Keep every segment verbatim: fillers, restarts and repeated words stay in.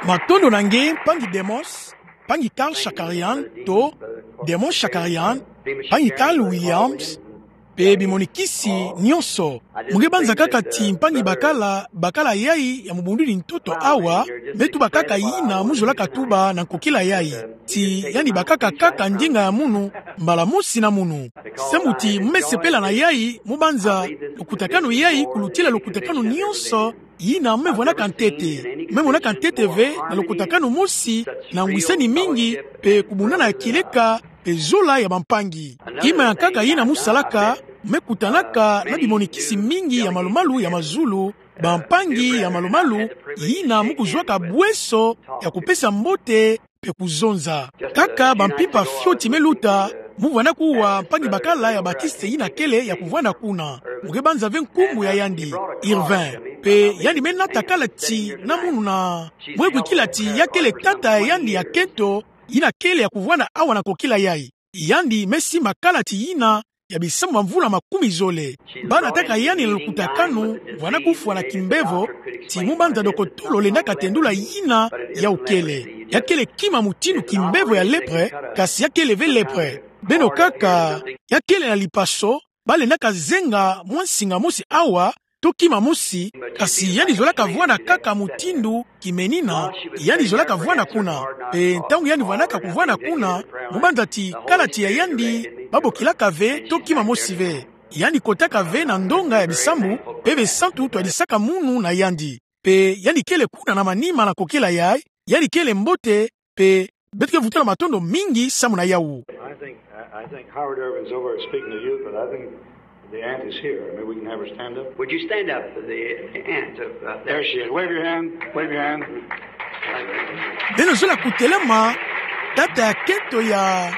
Matondo na nge, mpangi Demos, mpangi Carl Shakarian, to Demos Shakarian, mpangi Carl Williams, mpe bimonikisi nyonso. Mu nge banza kaka ti mpangi bakala, bakala yai ya mubunduli ntoto awa, me tuba kaka yina mu zolaka tuba na nkokila yai. Ti yandi bakaka kaka ndinga ya munu, mbala mosi na munu. Samu ti mu me sepela na yai, mu banza lukutakanu yai, kulutila lukutakanu nyonso, yina mu me vwanaka ntete. Mu me monaka ntete ve, na lukutakanu mosi, na ngwisani mingi, mpe kubundana ya kieleka, mpe zola ya bampangi. Kima ya nkaka yina mu salaka, mu me kutanaka na bimonikisi mingi ya malumalu ya mazulu, bampangi ya malumalu, yina mu kuzwaka bweso ya kupesa mbote, mpe kuzonza. Kaka bampimpa fioti me luta, mu vwanda kuwa mpangi bakala ya Baptiste yina kele ya kuvwanda kuna. Mu nge banza ve nkumbu ya yandi, Irvin. Mpe yandi me nata kalati na munu na, mu me kwikila ti ya kele tata ya yandi ya kento, yina kele ya kuvwanda awa na nkokila yai. Yandi me simba kalati yina ya bisambu bamvula makumi zole. Ba nataka yandi na lukutakanu, vwanda kufwa na kimbevo, ti mu banza dokotolo lendaka tendula yina yau kele. Ya kele kima mutindu kimbevo ya lèpre, kasi ya kele ve lèpre. Beno kaka, ya kele na lipaso, ba lendaka zenga mwa nsinga mosi awa, to kima mosi, kasi yandi zolaka vwanda kaka mutindu kimenina, yandi zolaka vwanda kuna. Mpe ntangu yandi vwandaka kuvwanda kuna, mu banza ti kalati ya yandi, ba bokilaka ve, to kima mosi ve. Yandi kotaka ve na ndonga ya bisambu, mpe besantu twadisaka munu na yandi. Mpe yandi kele kuna na manima na nkokila yai, yandi kele mbote, mpe beto ke vutula matondo mingi samu na yau. I think, I, I think Howard Irvin's over speaking to youth, but I think the aunt is here. Maybe we can have her stand up. Would you stand up for the aunt of, uh, There she is. Wave your hand. Wave your hand. Beno zola kutelama, tata ya kento ya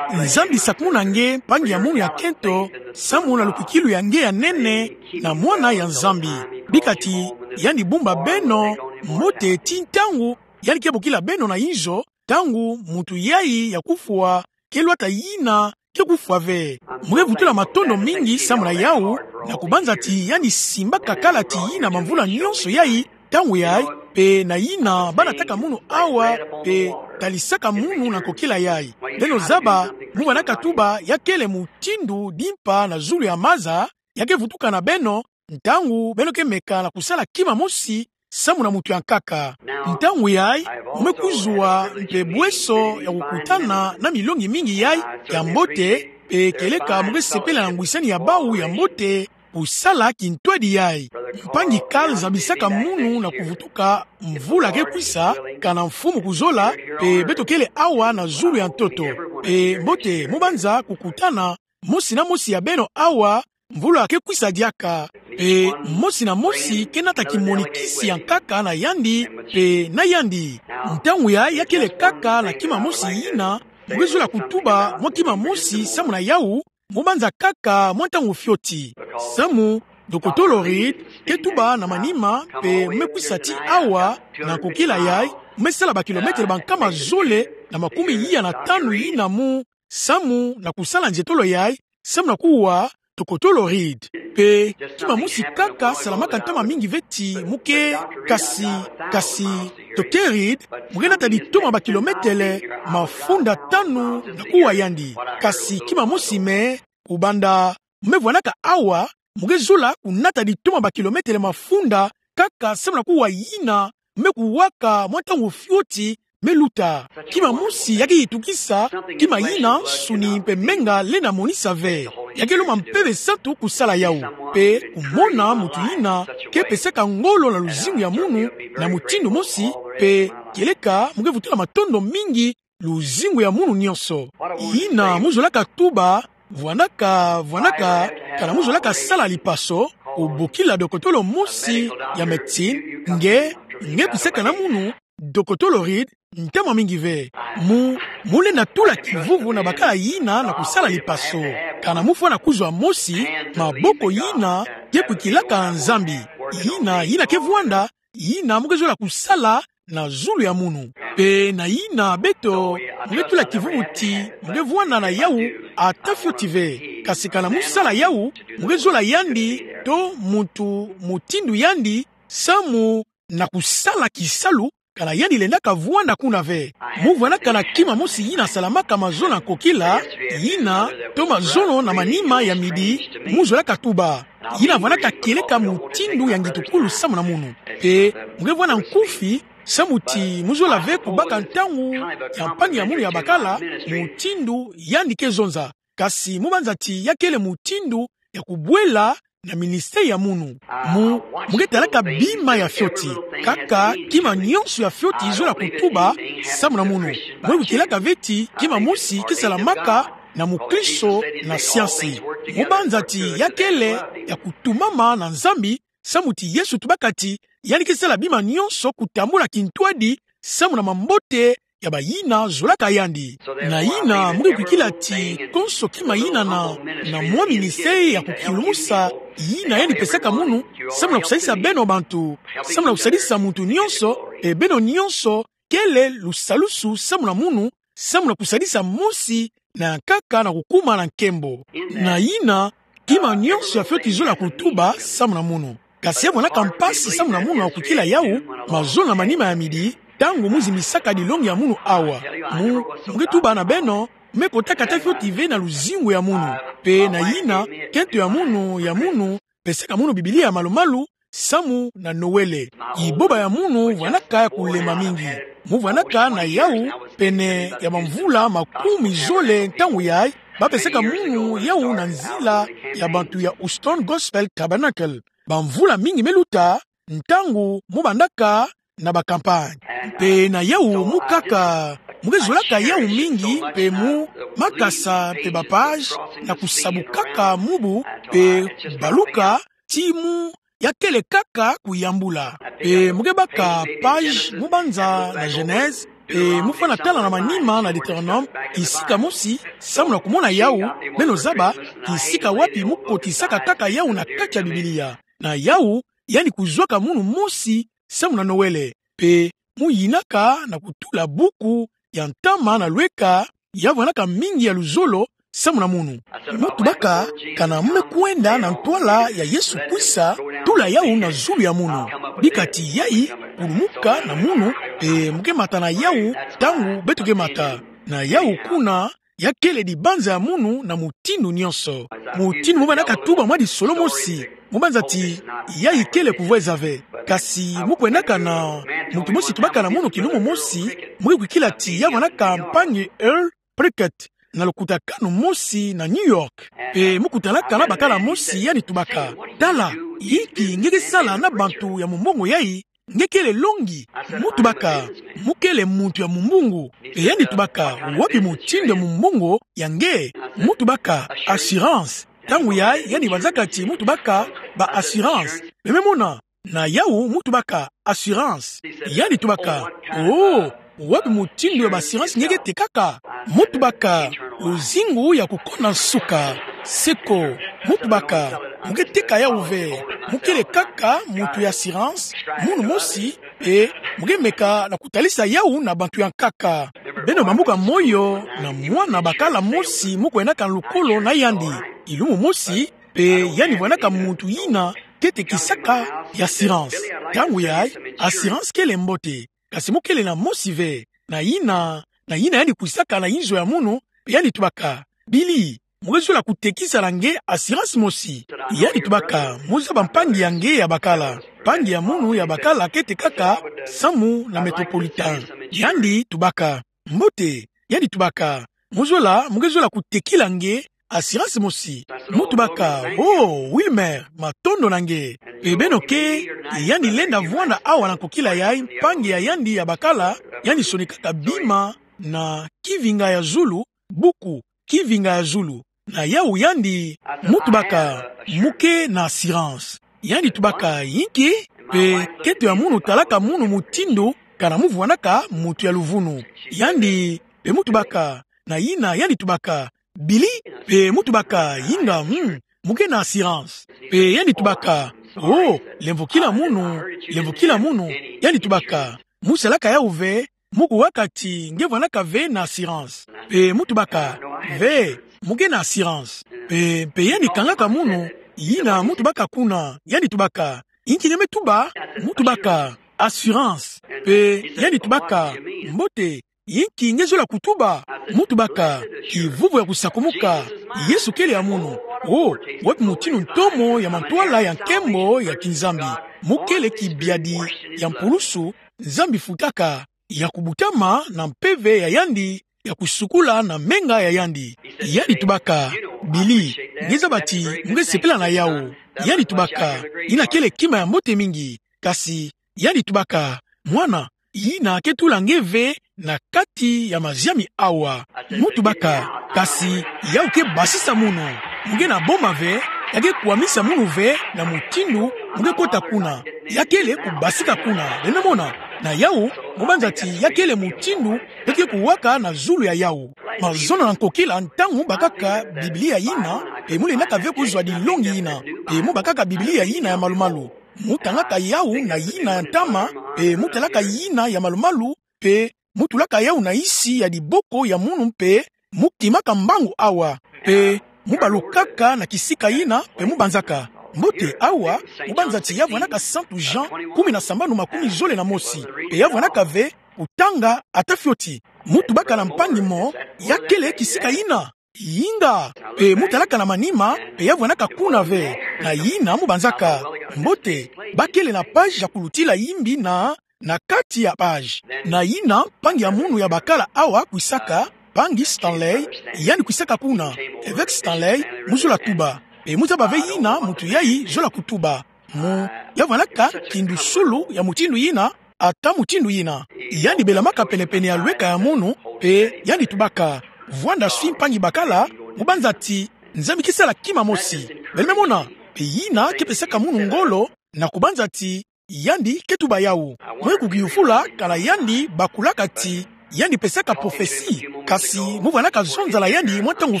Nzambi sakumuna nge, mpangi ya munu ya kento, samu na lukwikilu ya nge ya nene, na mwana ya Nzambi. Bika ti yandi bumba beno mbote ti ntangu yandi ke bokila beno na inzo, ntangu muntu yai ya kufwa ke lwata yina ke kufwa ve. Mu ke vutula matondo mingi samu na yau, na kubanza ti yandi simbaka kalati yina bamvula nyonso yai, ntangu yai, mpe na yina ba nataka munu awa, mpe talisaka munu na nkokila yai. Beno zaba, mu vwandaka tuba ya kele mutindu dimpa na zulu ya maza, ya ke vutuka na beno, ntangu beno ke meka na kusala kima mosi samu na muntu ya nkaka. Ntangu yai, mu me kuzwa mpe bweso ya kukutana na milongi mingi yai ya mbote, mpe kieleka mu ke sepela na ngwisani ya bau ya mbote, kusala kintwadi yai. Mpangi Carl zabisaka munu na kuvutuka mvula ke kwisa, kana Mfumu kuzola, mpe beto kele awa na zulu ya ntoto. Mpe mbote, mu banza kukutana mosi na mosi ya beno awa, mvula ke kwisa diaka. Mpe mosi na mosi ke nata kimonikisi ya nkaka na yandi, mpe na yandi. Ntangu yai ya kele kaka na kima mosi yina, mu ke zola kutuba mwa kima mosi samu na yau, mu banza kaka mwa ntangu fioti. Samu, dokotolo Reed ke tuba na manima, mpe mu me kwisa ti awa, na nkokila yai, mu me sala bakilometele bankama zole na makumi iya na tanu yina mu, samu na kusala nzietolo yai, samu na kuwa dokotolo Reed. Mpe kima mosi kaka salamaka ntama mingi ve ti mu ke, kasi, kasi, dokotolo Reed, mu ke nata ditoma bakilometele mafunda tanu na kuwa yandi. Kasi kima mosi me, kubanda mu me vwandaka awa, mu ke zola kunata ditoma bakilometele mafunda, kaka samu na kuwa yina mu me kuwaka mwa ntangu fioti me luta. Kima mosi ya ke yitukisa, kima yina nsuni mpe menga lenda monisa ve. Ya ke lomba mpeve santu kusala yau. Mpe kumona muntu yina ke pesaka ngolo na luzingu ya munu na mutindu mosi, mpe kieleka mu ke vutula matondo mingi luzingu ya munu nyonso. Yina mu zolaka tuba, vwandaka, vwandaka, kana mu zolaka sala lipaso, obokila dokotolo mosi ya médecine, nge, nge kwisaka na munu, dokotolo Reed, ntama mingi ve. Mu, mu lenda tula kivuvu na bakala yina na kusala lipaso. Kana mu fwana kuzwa mosi, maboko yina ke kwikilaka Nzambi. Yina, yina ke vwanda, yina mu ke zola kusala na zulu ya munu. Mpe na yina beto, mu ke tula kivuvu ti mu ke vwanda na yau, ata fioti ve. Kasi kana mu sala yau, mu ke zola yandi, to muntu mutindu yandi, samu na kusala kisalu kana yandi lendaka vwanda kuna ve. Mu vwandaka na kima mosi yina salamaka mazono ya nkokila, yina, to mazono na manima ya midi, mu zolaka tuba. Yina vwandaka kieleka mutindu ya ngitukulu samu na munu. Mpe, mu nge vwanda nkufi, samu ti mu zola ve kubaka ntangu ya mpangi ya munu ya bakala, mutindu yandi ke zonza. Kasi mu banza ti ya kele mutindu ya kubwela na ministère ya munu. Mu, mu nge talaka bima ya fioti. Kaka kima nionso ya fioti zola kutuba samu na munu. Mu nge kukielaka ve ti kima mosi ke salamaka na mukristo na siansi. Mu banza ti ya kele ya kutumama na Nzambi, samu ti Yesu tubaka ti yandi ke sala bima nionso kutambula kintwadi samu na mambote ya bayina zolaka yandi. Na yina, mu nge kwikila ti konso kima yina na, na mwa ministère ya kukilumusa yina yandi pesaka munu, samu na kusalisa beno bantu, samu na kusalisa muntu nionso, e beno nionso, kele lusalusu samu na munu, samu na kusalisa mosi na nkaka na kukuma na nkembo. Na yina, kima nionso ya fioti zola kutuba samu na munu. Kasi ya vwandaka mpasi samu na munu ya kwikila yau, mazono na manima ya midi, ntangu mu zimisaka dilongi ya munu awa. Mu, mu nge tuba na beno, me kotaka ta fioti ve na luzingu ya munu. Mpe na yina, kento ya munu, ya munu, pesaka munu Biblia malu-malu, samu na Noël. Iboba ya munu vwandaka ya kulema mingi. Mu vwandaka na yau pene ya bamvula makumi zole ntangu yayi, bapesaka munu yau na nzila ya bantu ya Houston Gospel Tabernacle. Bamvula mingi me luta, ntangu mu bandaka na ba campagne. Mpe na yau mu kaka, mu nge zolaka yau mingi, mpe mu makasa mpe ba page, na kusabukaka mubu, mpe baluka, ti mu ya kele kaka kuyambula. Mpe mu nge baka page mu banza na Genèse, mpe mu fwana tala na manima na Deutéronome, kisika mosi, samu na kumona yau, beno zaba, kisika wapi mu kotisaka kaka yau na kati ya Biblia. Na yau, yandi kuzwaka munu mosi, samu na Noël. Mpe mu yinaka na kutula buku ya ntama na lweka, ya vwandaka mingi ya luzolo, samu na munu. Mu tubaka, kana mu me kwenda na ntwala ya Yesu kwisa, tula yau na zulu ya munu. Bika ti yayi, kulumuka na munu, mpe mu nge mata na yau, ntangu beto ke mata. Na yau kuna, ya kele dibanza ya munu na mutindu nionso. Mutindu mu bandaka tuba mwa disolo mosi, mu banza ti, yayi kele kuvweza ve. Kasi mu kwendaka na, muntu mosi tubaka na munu kilumu mosi, mu nge kwikila ti ya vwandaka mpangi Earl Prickett, na lukutakanu mosi na New York. Mpe mu kutanaka na bakala mosi yandi tubaka: Tala, inki nge ke sala na bantu ya mumbongo yayi, nge kele longi? Mu tubaka: Mu kele muntu ya mumbongo. Mpe yandi tubaka: Wapi mutindu ya mumbongo ya nge? Mu tubaka: Assurance. Ntangu yayi yandi banzaka ti mu tubaka ba assurance. Mpe me mona, na yau mu tubaka: Assurance. Yandi tubaka: Oh, wapi mutindu ya ba assurance nge ke tekaka? Mu tubaka: Luzingu ya kukona nsuka. Seko. Mu tubaka: Mu ke teka yau ve. Mu kele kaka muntu ya assurance, munu mosi, mpe mu ke meka na kutalisa yau na bantu ya nkaka. Beno bambuka moyo na mwana bakala mosi mu kwendaka na lukolo na yandi. Kilumu mosi, mpe yandi vwandaka muntu yina ke tekisaka ya assurance. Ntangu yayi, assurance kele mbote. Kasi mu kele na mosi ve. Na yina, na yina yandi kwisaka na inzo ya munu, mpe yandi tubaka: Billy, mu ke zola kutekisa na nge assurance mosi? Yandi tubaka: Mu zaba mpangi ya nge ya bakala. Mpangi ya munu ya bakala ke tekaka samu na Metropolitan. Yandi tubaka: Mbote. Yandi tubaka: Mu zola, mu ke zola kutekila nge assurance mosi? Mu tubaka: Oh, Wilmer, matondo na nge. Mpe beno ke, yandi lenda vwanda awa na nkokila yayi, mpangi ya yandi ya bakala, yandi sonikaka bima na kivinga ya zulu, buku, kivinga ya zulu. Na yau yandi, mu tubaka: Mu ke na assurance? Yandi tubaka: Inki? Mpe kento ya munu talaka munu mutindu, kana mu vwandaka muntu ya luvunu. Yandi, mpe mu tubaka, na yina yandi tubaka: Billy? Mpe mu tubaka: Inga, hmm, mu ke na assurance. Mpe yandi tubaka: Oh, lemvokila munu, lemvokila munu. Yandi tubaka: Mu salaka yau ve, mu kuwaka ti nge vwandaka ve na assurance? Mpe mu tubaka: Ve, mu ke na assurance. Mpe, mpe yandi kangaka munu, yina mu tubaka kuna, yandi tubaka: Inki nge me tuba? Mu tubaka: assurance. Pe yandi tubaka: Mbote, yinki nge zola kutuba? Mu tubaka: Kivuvu ya kusakumuka. Yesu kele ya munu: O, wapi mutindu ntomo ya mantwala ya nkembo ya kinzambi? Mu kele kibiadi ya mpulusu Nzambi futaka, ya kubutama na mpeve ya yandi, ya kusukula na menga ya yandi. Yandi tubaka: Billy, nge zaba ti mu nge sepela na yawu. Yandi tubaka: Yina kele kima ya mbote mingi. Kasi yandi tubaka: Mwana, yina ke tula nge ve na kati ya maziami awa. Mu tubaka: Kasi yawu ke basisa munu. Mu nge na boma ve, ya ke kwamisa munu ve na mutindu mu nge kota kuna. Ya kele kubasika kuna. Beno mona? Na yawu, mu banza ti ya kele mutindu ke ke kuwaka na zulu ya yawu. Mazono na nkokila, ntangu mu bakaka Biblia yina, pe mu lendaka ve kuzwa dilongi yina, pe mu bakaka Biblia yina ya malu-malu, mu tangaka yawu na yina ya ntama, pe mu talaka yina ya malu-malu, pe mu tulaka yawu na nsi ya diboko ya munu, pe mu kimaka mbangu awa, pe mu balukaka na kisika yina, pe mu banzaka: Mbote, awa, mu banza ti ya vwanaka Santu Jean kumi na sambanu makumi zole na mosi, pe ya vwanaka ve kutanga ata fioti. Mu tubaka na mpangi mo: Ya kele kisika yina? Yinga. Pe mu talaka na manima, pe ya vwanaka kuna ve. Na yina mu banzaka: Mbote, ba kele na page ya kulutila yimbi na, na kati ya page. Na yina mpangi ya munu ya bakala awa kwisaka, mpangi Stanley, yandi kwisaka kuna. Avec Stanley, mu zola tuba. Pe mu zaba ve yina muntu yayi zola kutuba. Mu, ya vwanaka kindusulu ya mutindu yina, ata mutindu yina. Yandi belamaka pene-pene ya lweka ya munu, pe yandi tubaka: Vwanda swi mpangi bakala, mu banza ti Nzambi ke sala kima mosi. Beno me mona? Pe yina ke pesaka munu ngolo, na kubanza ti yandi ke tuba yawu. Mwe kukiyufula kana yandi bakulaka ti yandi pesaka prophetie, kasi mu vwanaka zonzala yandi mwa ntangu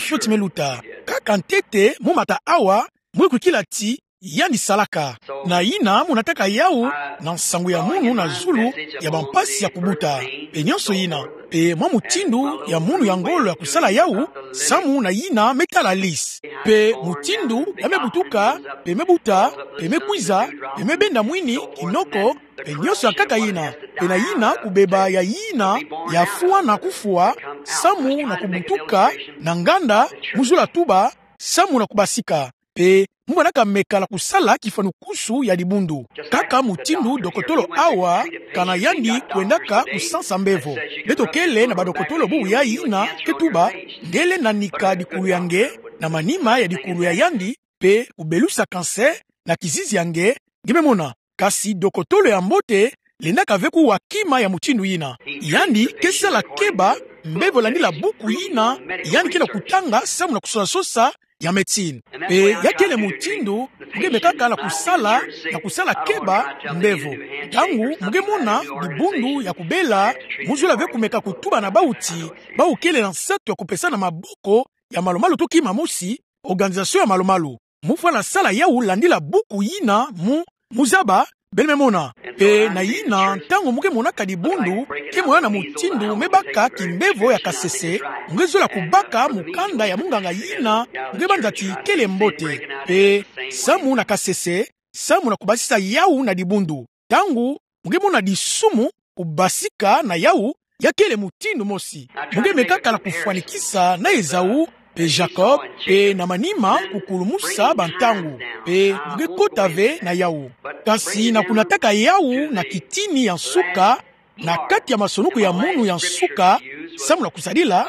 fioti me luta. Kaka ntete mu mata awa, mwe kukila ti yandi salaka. Na yina mu nataka yawu na nsangu ya munu na zulu ya bampasi ya kubuta, pe nyonso yina, pe mwa mutindu ya munu ya ngolo ya kusala yawu, samu na yina me tala liste. Pe mutindu ya me butuka, pe me buta, pe me kwiza, pe me benda mwini, kinoko, pe nyonso ya nkaka yina, pe na yina kubeba ya yina ya fwa na kufwa, samu na kubutuka na nganda, mu zola tuba, samu na kubasika. Pe mu vwanaka meka na kusala kifwanukusu ya dibundu. Kaka mutindu dokotolo awa, kana yandi kwendaka kusansa mbevo. Beto kele na badokotolo bubu yayi yina ke tuba: Nge lenda nika dikulu ya nge, na manima ya dikulu ya yandi, pe kubelusa cancer na kizizi ya nge. Nge me mona? Kasi dokotolo ya mbote lendaka ve kuwa kima ya mutindu yina. Yandi ke sala keba mbevo landila buku yina yandi ke na kutanga samu na kusosa-sosa ya médecine. Pe ya kele mutindu mu nge mekaka na kusala, na kusala keba mbevo. Ntangu mu nge mona dibundu ya kubela, mu zola ve kumeka kutuba na bawu ti, bawu kele na nsatu ya kupesana maboko ya malu-malu to kima mosi, organisation ya malu-malu. Mu fwana sala yawu landila buku yina mu, mu zaba, beno me mona. Pe na yina, ntangu mu nge monaka dibundu ke mona na mutindu me baka kimbevo ya kasese, mu nge zola kubaka mukanda ya munganga yina mu nge banza ti kele mbote. Pe samu na kasese, samu na kubasisa yawu na dibundu. Ntangu mu nge mona disumu, kubasika na yawu, ya kele mutindu mosi. Mu nge mekaka na kufwanikisa na Esaü, pe Jacob, pe na manima kukulumusa bantangu, pe mu nge kota ve na yawu. Kasi na kunataka yawu na kitini ya nsuka, na kati ya masonuku ya munu ya nsuka, samu na kusadila,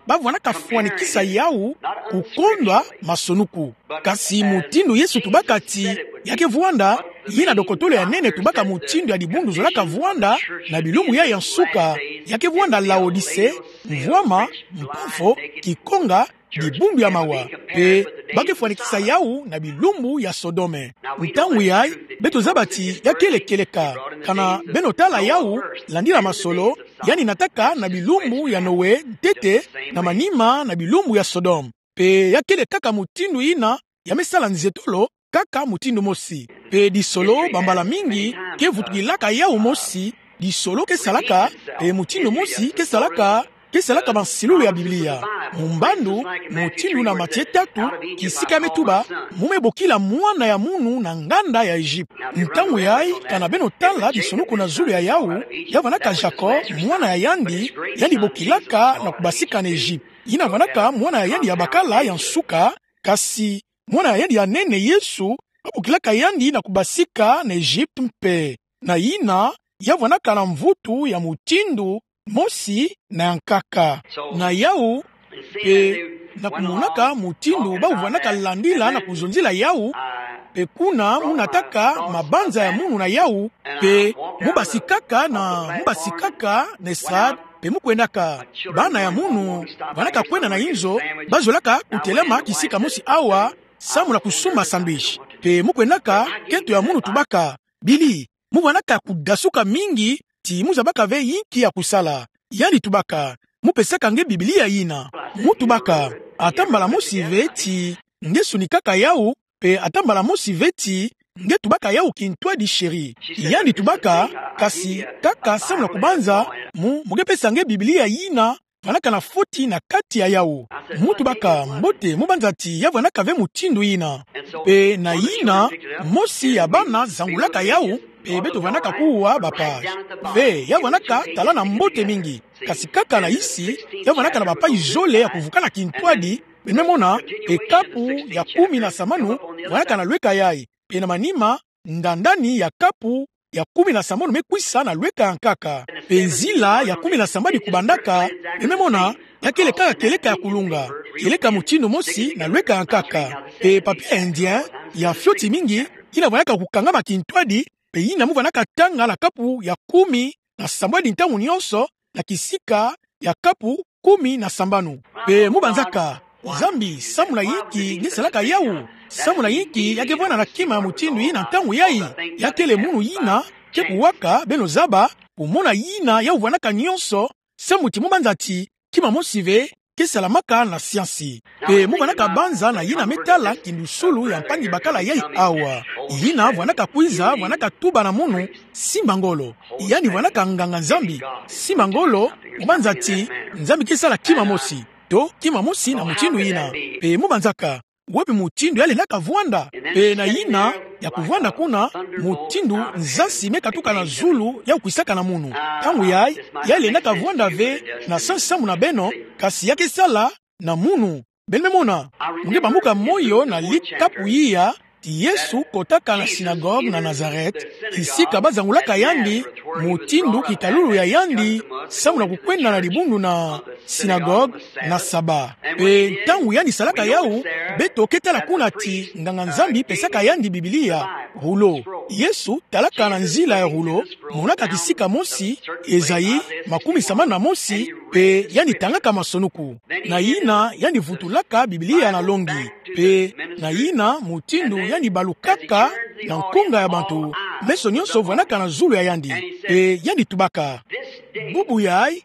ba vwanaka fwanikisa yawu kukondwa masonuku. Kasi mutindu Yesu tubaka ti ya ke vwanda, yina dokotolo ya nene tubaka mutindu ya dibundu zolaka vwanda na bilumbu yayi ya nsuka, ya ke vwanda Laodise, mvwama, mpofo, kikonga, dibundu ya mawa, pe ba ke fwanikisa yawu na bilumbu ya Sodome. Ntangu yayi, beto zaba ti ya kele kieleka, kana beno tala yawu, landila masolo, yandi nataka na bilumbu ya Noe, ntete, na manima na bilumbu ya Sodome. Pe ya kele kaka mutindu yina ya me sala nzetolo, kaka mutindu mosi. Pe disolo bambala mingi ke vutukilaka yawu mosi, disolo ke salaka, pe mutindu mosi ke salaka, ke salaka bansilulu ya Biblia. Mu mbandu, mutindu na Matie tatu, kisika me tuba, mu me bokila Mwana ya Munu na nganda ya Egypte. Ntangu yayi, kana beno tala tisonuku na zulu ya yawu, ya vwanaka Jacob, mwana ya yandi, yandi bokilaka na kubasika na Egypte. Yina vwanaka mwana ya yandi ya bakala ya nsuka, kasi mwana ya yandi ya nene Yesu, babokilaka yandi na kubasika na Egypte mpe. Na yina, ya vwanaka na mvutu ya mutindu mosi na ya nkaka. Na yawu, mpe na kumonaka mutindu bau vwanaka landila na kuzonzila yawu, mpe kuna mu nataka mabanza ya munu na yawu, mpe mu basikaka na, mu basikaka na estrade, mpe mu kwendaka. Bana ya munu, vwanaka kwenda na inzo, bazolaka kutelama kisika mosi awa, samu na kusumba sandwich. Mpe mu kwendaka, kento ya munu tubaka: Billy, mu vwanaka kudasuka mingi, ti mu zabaka ve inki ya kusala. Yandi tubaka: Mu pesaka nge Biblia yina. Mu tubaka: Ata mbala mosi ve ti nge sonikaka yawu, mpe ata mbala mosi ve ti nge tubaka yawu kintwadi, chérie. Yandi tubaka: Kasi kaka samu na kubanza, mu, mu ke pesa nge Biblia yina vwanaka na foti na kati ya yawu. Mu tubaka: Mbote, mu banza ti ya vwanaka ve mutindu yina. Mpe na yina, mosi ya bana zangulaka yawu, mpe beto vwanaka kuwa ba page. Mpe ya vwanaka tala na mbote mingi. Kasi kaka na isi, ya vwanaka na ba page zole ya kuvukana kintwadi, beno me mona, mpe kapu ya kumi na sambanu vwanaka na lweka yayi. Mpe na manima, ndandani ya kapu ya kumi na sambanu me kwisa na lweka ya nkaka. Mpe nzila ya kumi na sambadi kubandaka, beno me mona, ya kele kaka kieleka ya kulunga, kieleka mutindu mosi na lweka ya nkaka. Mpe papier indien ya fioti mingi, yina vwanaka kukangama kintwadi, mpe yina mu vwanaka tanga na kapu ya kumi na sambadi ntangu nyonso, na kisika ya kapu kumi na sambanu. Mpe mu banzaka: Nzambi, samu na inki nge salaka yawu? Samu na inki ya ke vwanda na kima ya mutindu yina ntangu yayi? Ya kele munu yina ke kuwaka, beno zaba, kumona yina ya vwanaka nyonso, samu ti mu banza ti kima mosi ve ke salamaka na siansi. Mpe mu vwanaka banza na yina me tala kindusulu ya mpangi bakala yayi awa. Yina vwanaka kwiza, vwanaka tuba na munu: Simba ngolo. Yandi vwanaka nganga-Nzambi. Simba ngolo, mu banza ti Nzambi ke sala kima mosi, to kima mosi na mutindu yina. Mpe mu banzaka: Wapi mutindu ya lendaka vwanda? Mpe na yina ya kuvwanda kuna, mutindu nzasi me katuka na zulu ya kwisaka na munu. Ntangu yayi, ya lendaka vwanda ve na samu na beno, kasi ya ke sala na munu. Beno me mona, mu nge bambuka moyo na likapu iya ti Yesu kotaka na sinagogue na Nazareth, kisika bazangulaka yandi, mutindu kitalulu ya yandi, samu na kukwenda na dibundu na sinagogue na Saba. Mpe ntangu yandi salaka yawu, beto ke tala kuna ti nganga-Nzambi pesaka yandi Biblia, rouleau. Yesu talaka na nzila ya rouleau, monaka kisika mosi, Esaïe makumi sambanu na mosi, mpe yandi tangaka masonuku. Na yina yandi vutulaka Biblia na longi. Mpe na yina mutindu yandi balukaka na nkunga ya bantu, meso nyonso vwanaka na zulu ya yandi. Mpe yandi tubaka: Bubu yayi,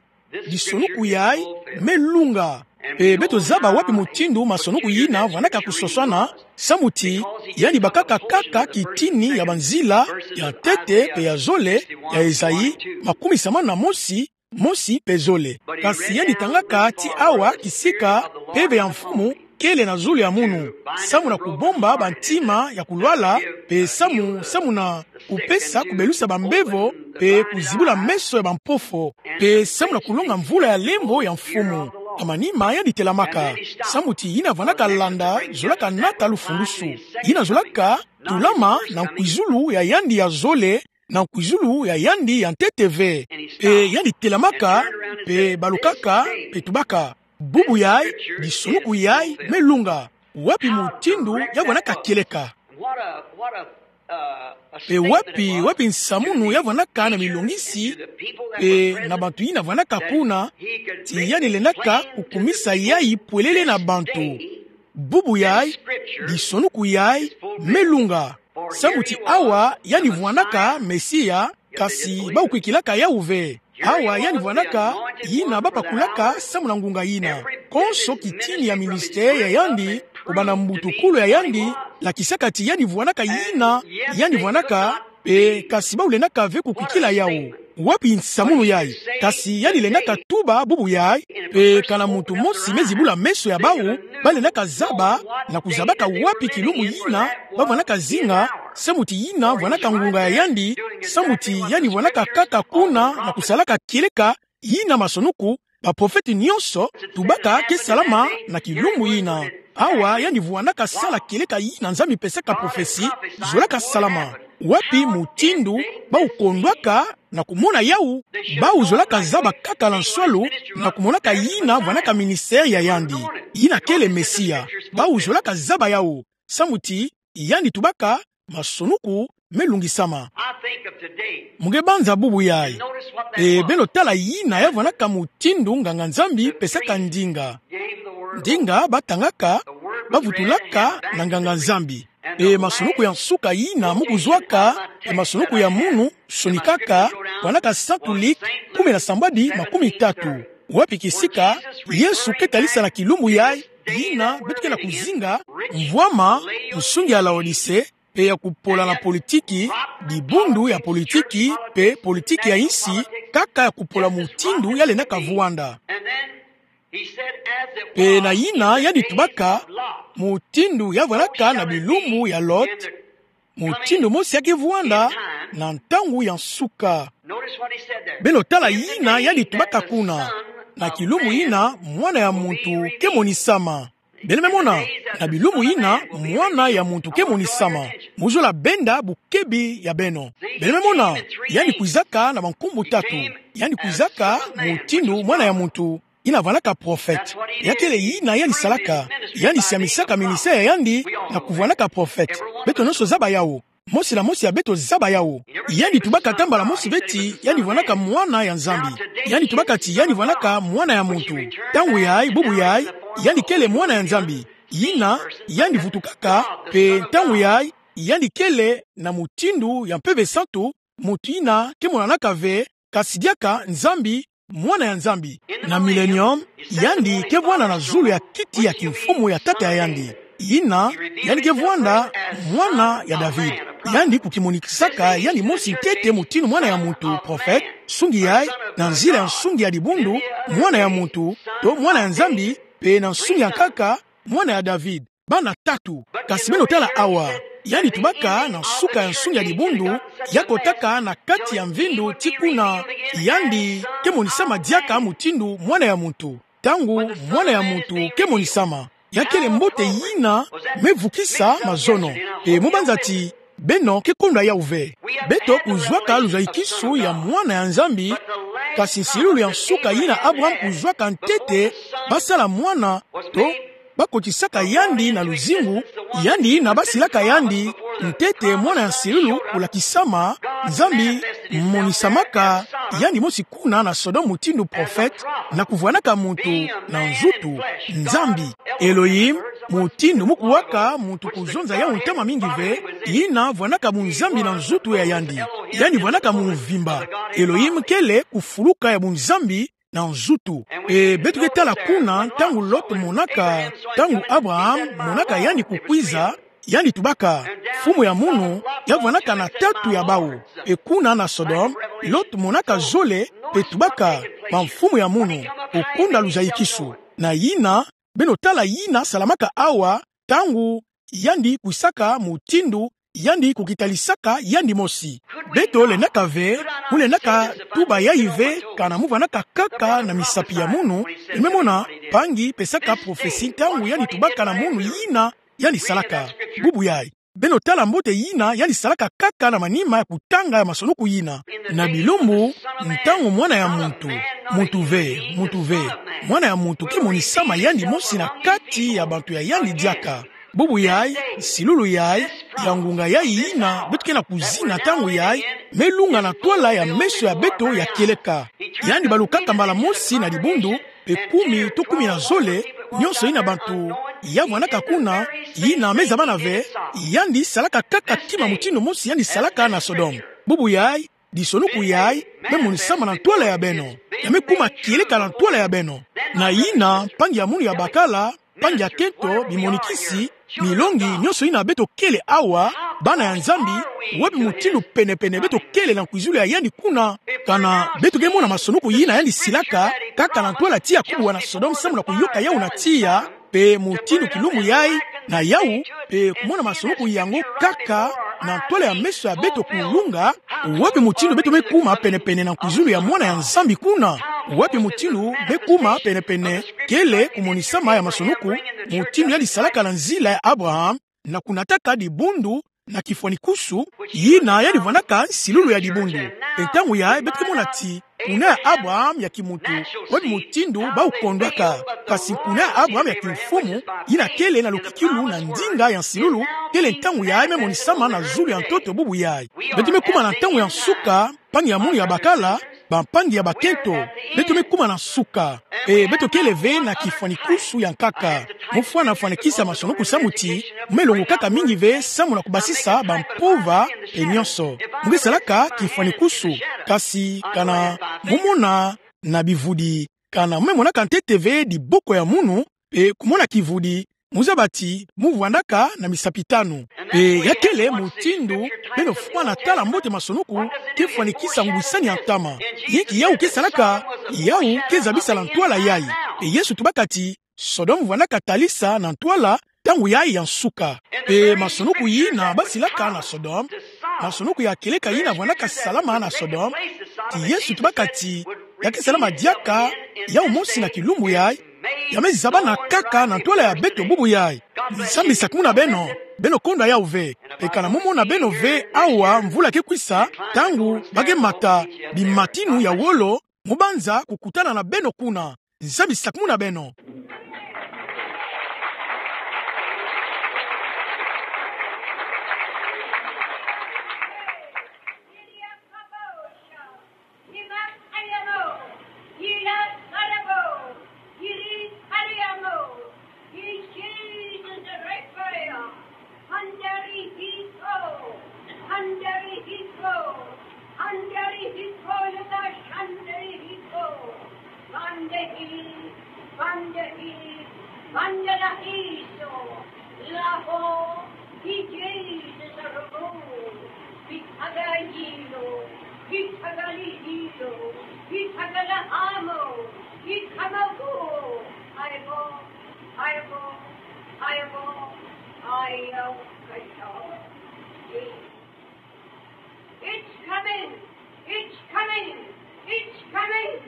disonuku yayi me lunga. Mpe beto zaba wapi mutindu masonuku yina vwanaka kusoswana, samu ti yandi bakaka kaka kitini ya banzila ya ntete mpe ya zole ya Esaïe makumi sambanu na mosi, mosi mpe zole. Kasi yandi tangaka ti awa kisika mpeve ya Mfumu kele na zulu ya munu, samu na kubomba bantima ya kulwala, mpe samu, samu na kupesa kubelusa bambevo, mpe kuzibula meso ya bampofo, mpe samu na kulonga mvula ya lemvo ya Mfumu. Na manima yandi telamaka, samu ti yina vwanaka landa zolaka nata lufulusu. Yina zolaka tulama na nkwizulu ya yandi ya zole, na nkwizulu ya yandi ya ntete ve. Mpe yandi telamaka, mpe balukaka, mpe tubaka: Bubu yayi, disonuku yayi me lunga. Wapi mutindu ya vwanaka kieleka? Mpe wapi, wapi nsamunu ya vwanaka na milongisi, mpe na bantu yina vwanaka kuna, ti yandi lendaka kukumisa yayi pwelele na bantu? Bubu yayi, disonuku yayi me lunga. Samu ti awa yandi vwanaka Mesia, kasi bau kwikilaka yawu ve. Awa yandi vwanaka yina bapakulaka samu na ngunga yina. Konso kitini ya ministère ya yandi, kubanda mbutukulu ya yandi, lakisaka ti yandi vwanaka yina yandi vwanaka, mpe kasi bau lendaka ve kukwikila yawu. Wapi nsamunu yai? Kasi yandi lendaka tuba bubu yai, pe kana muntu mosi me zibula meso ya bawu, ba lendaka zaba na kuzabaka wapi kilumbu yina ba vwanaka zinga, samu ti yina vwanaka ngunga ya yandi, samu ti yandi vwanaka kaka kuna na kusalaka kieleka yina masonuku, baprofete nyonso tubaka ke salama na kilumbu yina. Awa yandi vwanaka sala kieleka yina Nzambi pesaka profesi, zolaka salama. Wapi mutindu bawu kondwaka na kumona yawu? Bawu zolaka zaba kaka na nswalu na kumonaka yina vwanaka ministère ya yandi, yina kele Mesia. Bawu zolaka zaba yawu, samu ti yandi tubaka masonuku me lungisama. I think of today. Mu nge banza bubu yai. Notice what that E was. Beno tala yina ya vwanaka mutindu nganga-Nzambi pesaka ndinga. Gave the word. Ndinga ba tangaka, ba vutulaka na nganga-Nzambi. E masonuku ya nsuka yina mu kuzwaka, e masonuku ya munu sonikaka, vwanaka Saint Luc kumi na sambwadi makumi tatu. Wapi kisika Yesu ke talisa na kilumbu yai, yina beto ke na kuzinga, mvwama, nsungi ya Laodicée, pe ya kupola na politiki, dibundu ya politiki, pe politiki ya insi, kaka ya kupola mutindu ya lendaka vwanda. Pe na yina yandi tubaka, mutindu ya vwanaka na bilumbu ya Lot, mutindu mosi ya ke vwanda na ntangu ya nsuka. Beno tala yina yandi tubaka kuna, na kilumbu yina mwana ya muntu ke monisama. Beno me mona, na bilumbu yina mwana ya muntu ke monisama. Mu zola benda bukebi ya beno. Beno me mona, yandi kwizaka na bankumbu tatu. Yandi kwizaka mutindu mwana ya muntu, yina vwanaka prophète. Ya kele yina yandi salaka, yandi siamisaka ministère ya yandi na kuvwanaka prophète. Beto nyonso zaba yawu. Mosi na mosi ya beto zaba yawu. Yandi tubaka ata mbala mosi ve ti yandi vwanaka mwana ya Nzambi. Yandi tubaka ti yandi vwanaka mwana ya muntu. Ntangu yai, bubu yai, yandi kele mwana ya Nzambi. Yina, yandi vutukaka, pe ntangu yai, yandi kele na mutindu ya Mpeve Santu, muntu yina ke monanaka ve, kasi diaka Nzambi, mwana ya Nzambi. Na millénium, yandi ke vwanda na zulu ya kiti ya kimfumu ya tata ya yandi. Yina, yandi ke vwanda mwana ya David. Yandi kukimonikisaka yandi mosi ntete mutindu mwana ya muntu, prophète, nsungi yai, na nzila ya nsungi ya dibundu, mwana ya muntu, to mwana ya Nzambi, pe na nsungi ya nkaka, mwana ya David. Bana tatu. Kasi beno tala awa. Yandi tubaka na nsuka ya nsungi ya dibundu, ya kotaka na kati ya mvindu ti kuna yandi ke monisama diaka mutindu mwana ya muntu. Ntangu mwana ya muntu ke monisama, ya kele mbote yina me vukisa mazono. E mu banza ti beno ke kondwa yawu ve. Beto kuzwaka luzayikisu ya mwana ya Nzambi, kasi nsilulu ya nsuka yina Abraham kuzwaka ntete ba sala mwana, to ba kotisaka yandi na luzingu, yandi yina ba silaka yandi ntete mwana ya nsilulu kulakisama, Nzambi monisamaka yandi mosi kuna na Sodome mutindu prophète, na kuvwanaka muntu na nzutu, Nzambi, Elohim, mutindu mu kuwaka muntu kuzonza yawu ntama mingi ve, yina vwanaka bunzambi na nzutu ya yandi. Yandi vwanaka mumvimba. Elohim kele kufuluka ya bunzambi na nzutu. E beto ke tala kuna, ntangu Lot monaka, ntangu Abraham monaka yandi kukwiza, yandi tubaka, mfumu ya munu ya vwanaka na tatu ya bawu. E kuna na Sodome, Lot monaka zole, pe tubaka, ba mfumu ya munu, kukunda luzayikisu. Na yina, beno tala yina salamaka awa, ntangu yandi kwisaka mutindu yandi kukitalisaka yandi mosi. Beto lendaka ve, mu lendaka tuba yayi ve, kana mu vwanaka kaka na misapi ya munu, beno me mona, mpangi pesaka prophetie ntangu yandi tubaka na munu yina yandi salaka. Bubu yayi. Beno tala mbote yina yandi salaka kaka na manima ya kutanga ya masonuku yina. Na bilumbu, ntangu mwana ya muntu, muntu ve, muntu ve, mwana ya muntu ke monisama yandi mosi na kati ya bantu ya yandi diaka. Bubu yayi, nsilulu yayi, ya ngunga yayi yina beto ke na kuzina ntangu yayi, me lunga na ntwala ya meso ya beto ya kieleka. Yandi balukaka mbala mosi na dibundu, pe kumi to kumi na zole, nyonso yina bantu ya vwanaka kuna, yina me zabana ve, yandi salaka kaka kima mutindu mosi yandi salaka na Sodome. Bubu yayi, disonuku yayi, me monisama na ntwala ya beno. Ya me kuma kieleka na ntwala ya beno. Na yina, mpangi ya munu ya bakala, bampangi ya kento, bimonikisi, milongi, nyonso yina beto kele awa, bana ya Nzambi, wapi mutindu pene-pene beto kele na kwizulu ya yandi kuna? Kana beto ke mona masanoku yina yandi silaka kaka na ntwala tiya kubwa na Sodome samu na kuyoka yawu na tiya, mpe mutindu kilumbu yayi na yawu, mpe kumona masanoku yango kaka na ntwala ya meso ya beto kulunga, wapi mutindu beto me kuma pene-pene na kwizulu ya Mwana ya Nzambi kuna? Wapi mutindu me kuma pene-pene, kele kumonisama ya masanoku, mutindu yandi salaka na nzila ya Abraham, na kunataka dibundu na kifwanikusu, yina yandi vwandaka nsilulu ya dibundu. Mpe ntangu yayi beto ke mona ti kuna ya Abraham ya kimuntu, wapi mutindu bawu kondwaka, kasi kuna ya Abraham ya kimfumu, yina kele na lukikilu na ndinga ya nsilulu, kele ntangu yayi me monisama na zulu ya ntoto bubu yayi. Beto me kuma na ntangu ya nsuka, mpangi ya munu ya bakala, bampangi ya bakento, beto me kuma na nsuka. Mpe beto kele ve na kifwanikusu ya nkaka. Mu fwana fwanakisa masanoku samu ti mu me longokaka mingi ve samu na kubasisa bampova mpe nyonso. Mu ke salaka kifwanikusu, kasi kana mu mona na bivudi, kana mu me monaka ntete ve diboko ya munu, mpe kumona kivudi, mu zaba ti mu vwandaka na misapi tanu. Mpe ya kele mutindu beno fwana tala mbote masanoku ke fwanikisa ngwisani ya ntama. Yinki yawu ke salaka? Yawu ke zabisa na ntwala yayi. Mpe Yesu tubaka ti Sodome vwandaka talisa na ntwala ntangu yayi ya nsuka. Mpe masanoku yina basilaka na Sodome, masanoku ya kieleka yina vwandaka salama na Sodome, ti Yesu tubaka ti ya ke salama diaka yawu mosi na kilumbu yayi, ya me zabana kaka na ntwala ya beto bubu yayi. Nzambi sakumuna beno, beno konda yawu ve. Mpe kana mu mona beno ve awa, mvula ke kwisa, ntangu ba ke mata bimatinu ya wolo, mu banza kukutana na beno kuna. Nzambi sakumuna beno. It's coming, it's coming, it's coming,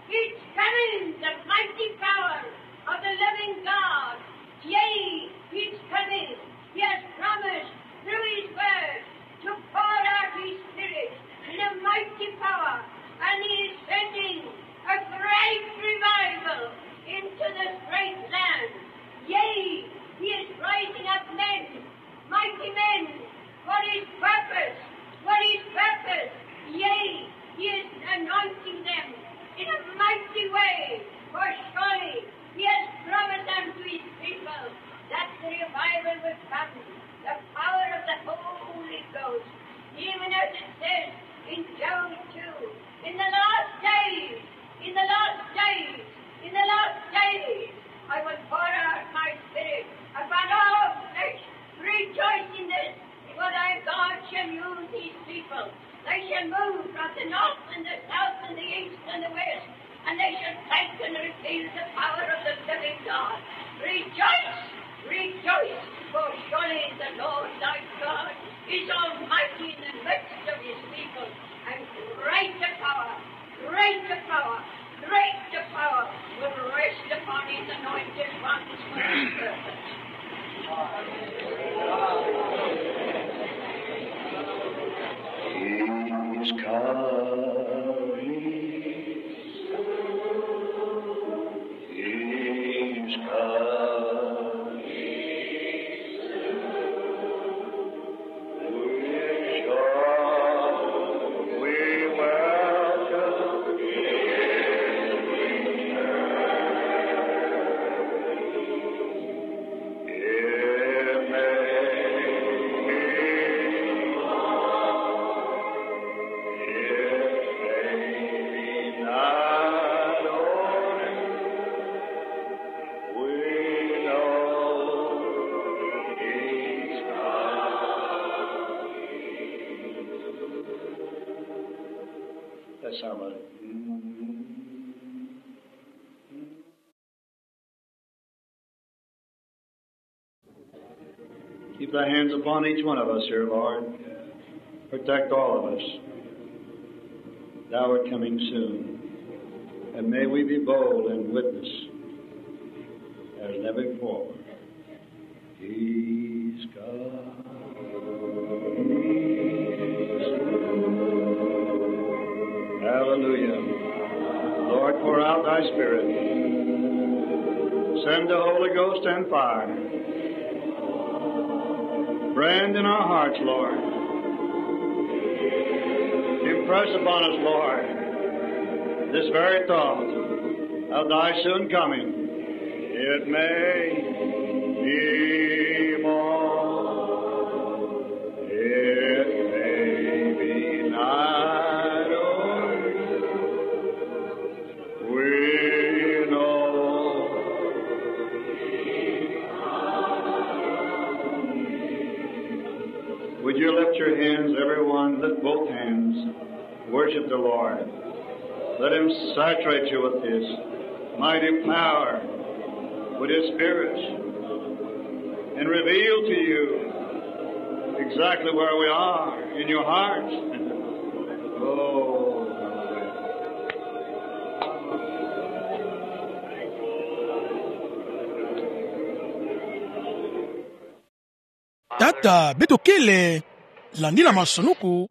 it's coming, the mighty power of the living God. Yea, it's coming. He has promised through his word to pour out his spirit in a mighty power, and he is sending a great revival into this great land. Yea, he is raising up men, mighty men, for his purpose, for his purpose. Yea, he is anointing them in a mighty way, for surely he has promised unto his people that the revival will come, the power of the Holy Ghost, even as it says in Joel two, in the last days, in the last days, in the last days, I will pour out my spirit upon all flesh. Rejoice in this, for thy God shall use these people. They shall move from the north and the south and the east and the west, and they shall take and reveal the power of the living God. Rejoice, rejoice, for surely the Lord thy God is almighty in the midst of his people, and greater power, greater power, greater power will rest upon his anointed ones for his purpose. He's coming. He's coming. Thy hands upon each one of us here, Lord. Protect all of us. Thou art coming soon. And may we be bold and witness as never before. He's come. Hallelujah. Lord, pour out thy Spirit. Send the Holy Ghost and fire. Brand in our hearts, Lord. Impress upon us, Lord, this very thought of thy soon coming. It may be morn. It may be night, oh, we know. Would you lift your hands, everyone? Lift both hands. Worship the Lord. Let him saturate you with his mighty power, with his Spirit, and reveal to you exactly where we are in your hearts. Oh. Tata, beto kele landi na masonuku,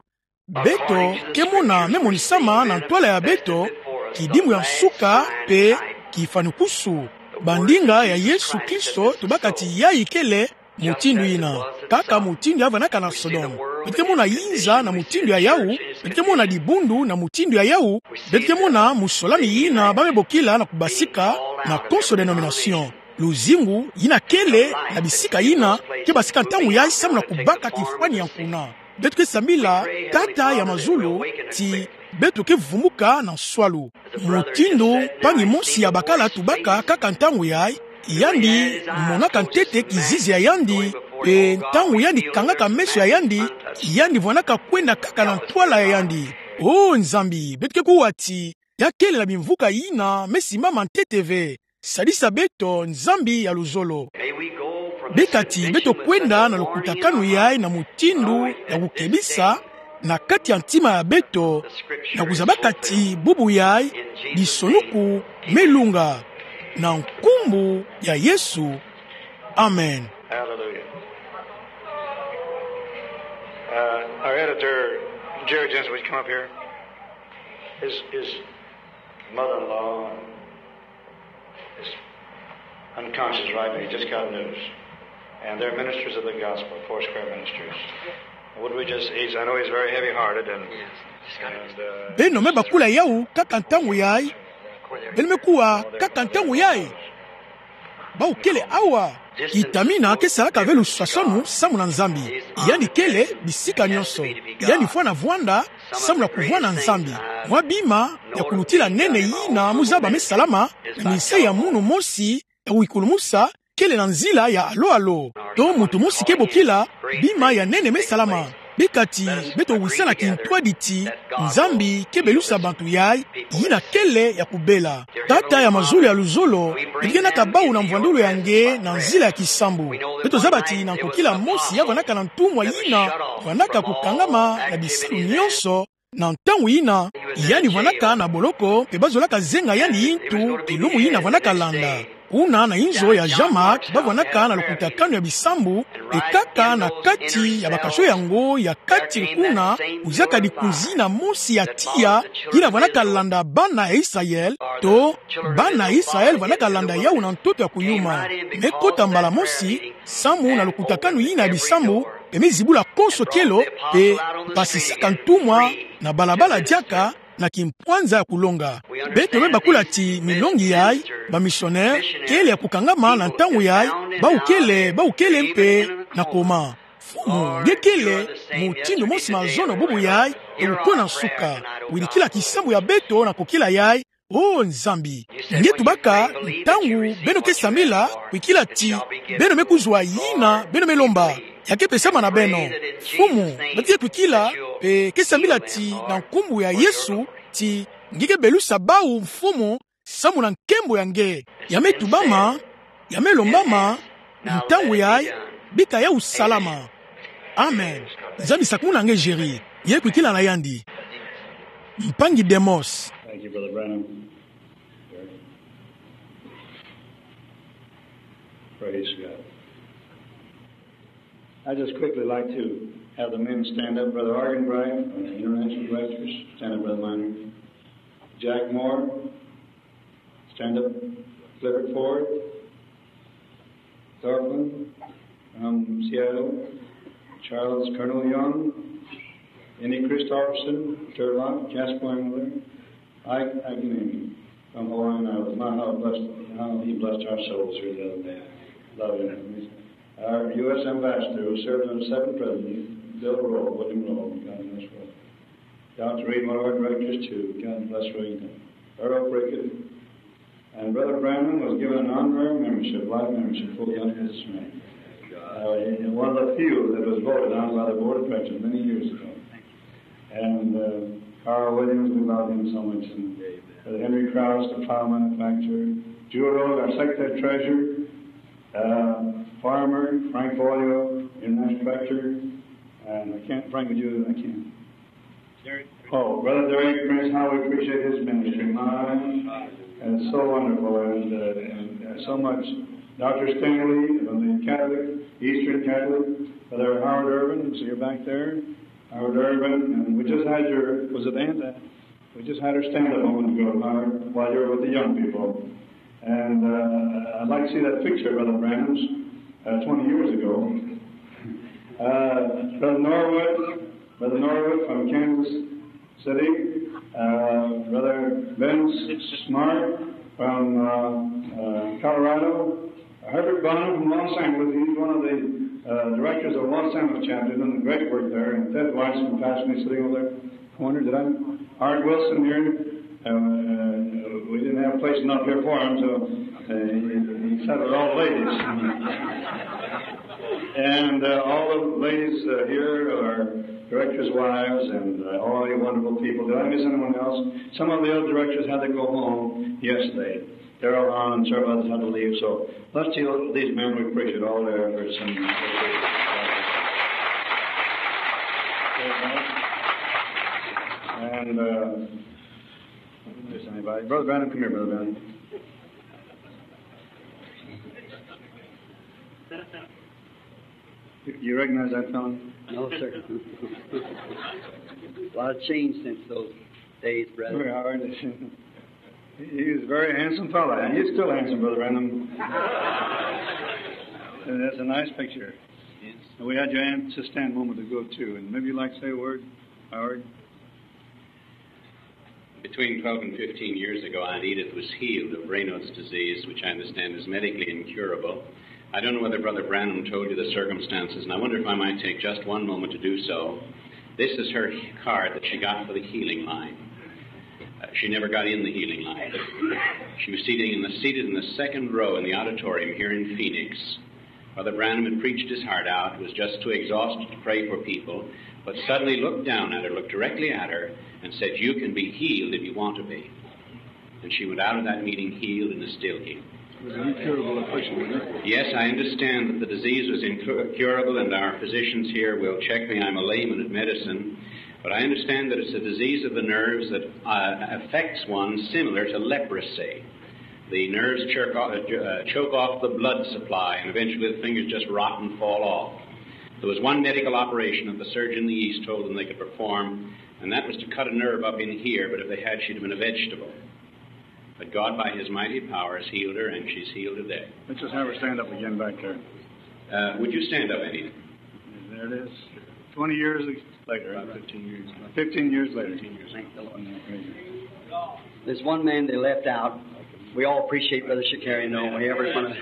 beto ke mona me monisama na ntwala ya beto, kidimbu ya nsuka mpe kifwanikusu. Bandinga ya Yesu Kristo, tubaka ti yayi kele mutindu yina, kaka mutindu ya vanaka na Sodome. Beto ke mona yinza na mutindu ya yawu, beto ke mona dibundu na mutindu ya yawu, beto ke mona musolami yina ba me bokila na kubasika na konso dénomination. Luzingu yina kele na bisika yina ke basika ntangu yayi samu na kubaka kifwani ya nkuna. Beto ke sambila Tata ya mazulu ti beto ke vumuka na nswalu. Mutindu mpangi mosi ya bakala tubaka kaka ntangu yayi, yandi monaka ntete kizizi ya yandi, mpe ntangu yandi kangaka meso ya yandi, yandi vwanaka kwenda kaka na ntwala ya yandi. O Nzambi, beto ke kuwa ti ya kele na bimvuka yina me simbama ntete ve. Sadisa beto, Nzambi ya luzolo. Bika ti beto kwenda na lukutakanu yayi na mutindu ya kukebisa na kati ya ntima ya beto, na kuzabaka ti bubu yayi bisonuku me lunga, na nkumbu ya Yesu. Amen. Hallelujah. Uh, our editor, Jerry Jensen, would you come up here? His, his mother-in-law is unconscious right now. He just got news. And they're ministers of the gospel, Foursquare Ministries. Would we just, he's, I know he's very heavy-hearted and, and, uh, beno me bakula yawu kaka ntangu yayi. Beno me kuwa kaka ntangu yayi. Bawu kele awa. Kitamina ke salaka ve luswaswanu samu na Nzambi. Yandi kele bisika nyonso. Yandi fwana vwanda samu na kuvwanda Nzambi. Mwa bima ya kulutila nene yina mu zaba me salama, na minsayi ya munu mosi ya kuyikulumusa kele na nzila ya alo-alo. To muntu mosi ke bokila bima ya nene me salama. Bika ti beto wisa na kintwadi ti Nzambi ke belusa bantu yayi yina kele ya kubela. Tata ya mazulu ya luzolo, beto ke naka bawu na mvwandulu ya nge na nzila ya kisambu. Beto zaba ti na nkokila mosi ya vwanaka na ntumwa yina vwanaka kukangama na bisalu nyonso na ntangu yina, yandi vwanaka na boloko, mpe bazolaka zenga yandi yintu, kilumu yina vwanaka landa. Kuna na inzo ya Jean-Marc, ba vwanaka na lukutakanu ya bisambu, mpe kaka na kati ya bakasho yango ya kati kuna, kudiaka dikunzi yina mosi ya tiya, yina vwanaka landa bana ya Israël, to bana ya Israël vwanaka landa yawu na ntoto ya kuyuma. Me kota mbala mosi samu na lukutakanu yina ya bisambu, mpe me zibula konso kielo, mpe basisaka ntumwa na balabala diaka na kimpwanza ya kulonga. Beto me bakula ti milongi yayi, ba missionnaire, kele ya kukangama na ntangu yayi, bawu kele, bawu kele mpe na koma. Mfumu, nge kele mutindu mosi mazono bubu yayi, mpe wuko na nsuka. Wirikila kisambu ya beto na nkokila yayi, O Nzambi, nge tubaka ntangu beno ke sambila, kwikila ti beno me kuzwa yina beno me lomba, ya ke pesama na beno. Mfumu, bati ye kwikila, mpe ke sambila ti na nkumbu ya Yesu, ti nge ke belusa bawu, Mfumu, samu na nkembo ya nge. Ya me tubama, ya me lombama, ntangu yayi, Bika ya usalama. Amen. Nzambi sakumuna nge Jerry. Ye kwikila na yandi. Mpangi Demos. Thank you, Brother Branham. Praise God. I'd just quickly like to have the men stand up. Brother Argenbright from the International Directors, stand up, Brother Miner. Jack Moore, stand up. Clifford Ford, Thornton from Seattle, Charles Colonel Young, Annie Christopherson, Turlock, Jasper Engler, Ike Agnemi from Hawaiian Islands. My, how blessed, how he blessed our souls here the other day. Love him. Our U S ambassador who served on the seven presidencies, Bill Rowe, William Rowe, God bless Rowe. Doctor Reed, one of our directors too, God bless Rowe. Earl Prickett, and Brother Branham was given an honorary membership, life membership, for the United States. Uh, one of the few that was voted on by the board of directors many years ago. And, uh, Carl Williams, we love him so much. And Brother Henry Krause, the flour manufacturer. Jewel Rose, our secretary treasurer. Uh, Farmer, Frank Boyle, international director. And I can't, Frank, would you, I can't. Oh, Brother Derek Prince, how we appreciate his ministry. My, and it's so wonderful and, uh, and, uh, so much. Doctor Stanley from the Catholic, Eastern Catholic. Brother Howard Urban, so you're back there. Howard Urban, and we just had your, was it Aunt? We just had her stand up a moment ago, Howard, while you were with the young people. And, uh, I'd like to see that picture of Brother Branham's, uh, twenty years ago. Uh, Brother Norwood, Brother Norwood from Kansas City, uh, Brother Vince Smart from, uh, uh, Colorado, Herbert Bonham from Los Angeles. He's one of the, uh, directors of Los Angeles chapter, doing a great work there. And Ted Weiss from Pasadena, sitting over there. Corner, did I? Art Wilson here. Uh, uh, we didn't have a place enough here for him, so, uh, he, he sat with all the ladies. And, uh, all the ladies, uh, here are directors' wives and, uh, all you wonderful people. Did I miss anyone else? Some of the other directors had to go home yesterday. They're all on and several others had to leave. So let's see these men. We appreciate all their efforts. And, and, uh, if there's anybody. Brother Branham, come here, Brother Branham. You, you recognize that fellow? No, sir. A lot of change since those days, brother. Very hard. He, he was a very handsome fellow, and he's still handsome, Brother Branham. And that's a nice picture. And we had your aunt to stand a moment ago, too, and maybe you'd like to say a word, Howard? Between twelve and fifteen years ago, Aunt Edith was healed of Raynaud's disease, which I understand is medically incurable. I don't know whether Brother Branham told you the circumstances, and I wonder if I might take just one moment to do so. This is her card that she got for the healing line. Uh, she never got in the healing line. She was seated in the, seated in the second row in the auditorium here in Phoenix. Brother Branham had preached his heart out, was just too exhausted to pray for people, but suddenly looked down at her, looked directly at her, and said, "You can be healed if you want to be." And she went out of that meeting healed and is still healed. It was an incurable affliction, wasn't it? Yes, I understand that the disease was incurable, and our physicians here will check me. I'm a layman at medicine, but I understand that it's a disease of the nerves that, uh, affects one similar to leprosy. The nerves jerk off, uh, choke off the blood supply, and eventually the fingers just rot and fall off. There was one medical operation that the surgeon in the East told them they could perform, and that was to cut a nerve up in here, but if they had, she'd have been a vegetable. But God, by his mighty power, has healed her, and she's healed today. Let's just have her stand up again back there. Uh, would you stand up, Annie? There it is. Twenty years later. About fifteen years. Fifteen years later. Fifteen years. Thank the Lord. There's one man they left out. We all appreciate Brother Shakarian, though. We ever want to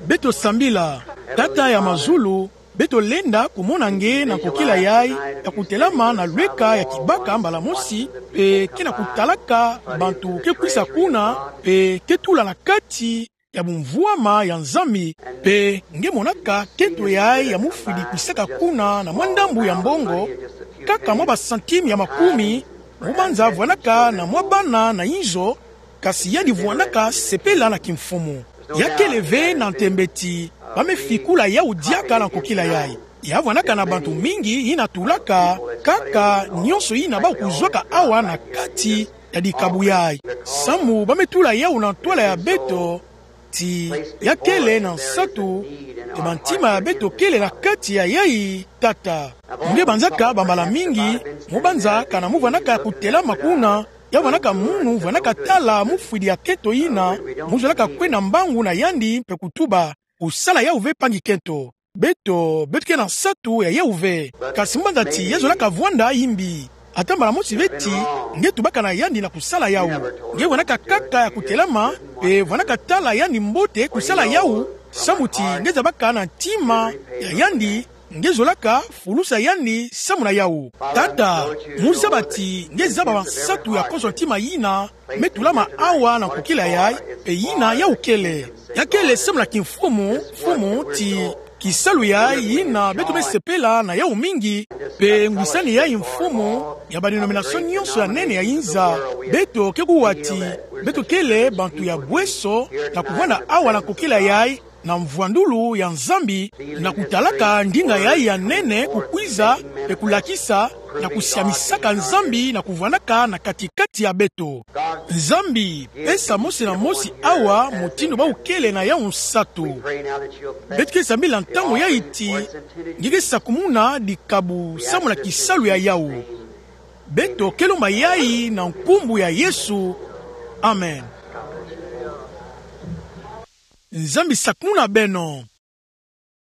Beto sambila. Tata ya mazulu, beto lenda kumona nge na nkokila yayi, ya kutelama na lweka ya kibaka mbala mosi, pe ke na kutalaka bantu ke kwisa kuna, pe ke tula na kati ya bumvuama ya Nzambi, pe nge monaka kento yayi ya mufwidi kwisaka kuna na mwa ndambu ya mbongo, kaka mwa ba centime ya makumi, mbo banza vwanaka na mwa bana na inzo, kasi yandi vwanaka sepela na kimfumu. Ya kele ve na ntembe ti ba me fikula yawu diaka na nkokila yayi. Ya vwanaka na bantu mingi yina tulaka kaka nionso yina bau kuzwaka awa na kati ya dikabu yayi. Samu ba me tula yawu na ntwala ya beto, ti ya kele na nsatu, ti ba ntima ya beto kele na kati ya yayi, Tata. Nge banzaka bambala mingi, mbo banza kana mu vwanaka kutelama kuna, ya vwanaka munu vwanaka tala mufwidi ya kento yina, mu zolaka kwenda mbangu na yandi mpe kutuba: Kusala yawu ve mpangi kento. Beto, beto ke na nsatu ya yawu ve. Kasi mbo banza ti ya zolaka vwanda yimbi. Ata mbala mosi ve ti nge tubaka na yandi na kusala yawu. Nge vwanaka kaka ya kutelama, pe vwanaka tala yandi mbote kusala yawu, samu ti nge zabaka na ntima ya yandi, nge zolaka fulusa yandi samu na yawu. Tata, mu zaba ti nge zaba bansatu ya konso ntima yina me tulama awa na nkokila yayi, pe yina yawu kele. Ya kele samu na kimfumu, Mfumu, ti kisalu yayi yina beto me sepela na yawu mingi, pe ngwisani yayi, Mfumu, ya ba dénomination nionso ya nene ya inza, beto ke kuwa ti beto kele bantu ya bweso na kuvwanda awa na nkokila yayi, na mvwandulu ya Nzambi, na kutalaka ndinga yayi ya nene kukwiza, pe kulakisa, na kusiamisaka Nzambi na kuvwandaka na kati-kati ya beto. Nzambi, pesa mosi na mosi awa mutindu bau kele na yawu nsatu. Beto ke sambila ntangu yayi ti nge ke sakumuna dikabu samu na kisalu ya yawu. Beto ke lomba yayi na nkumbu ya Yesu. Amen. Nzambi sakumuna beno.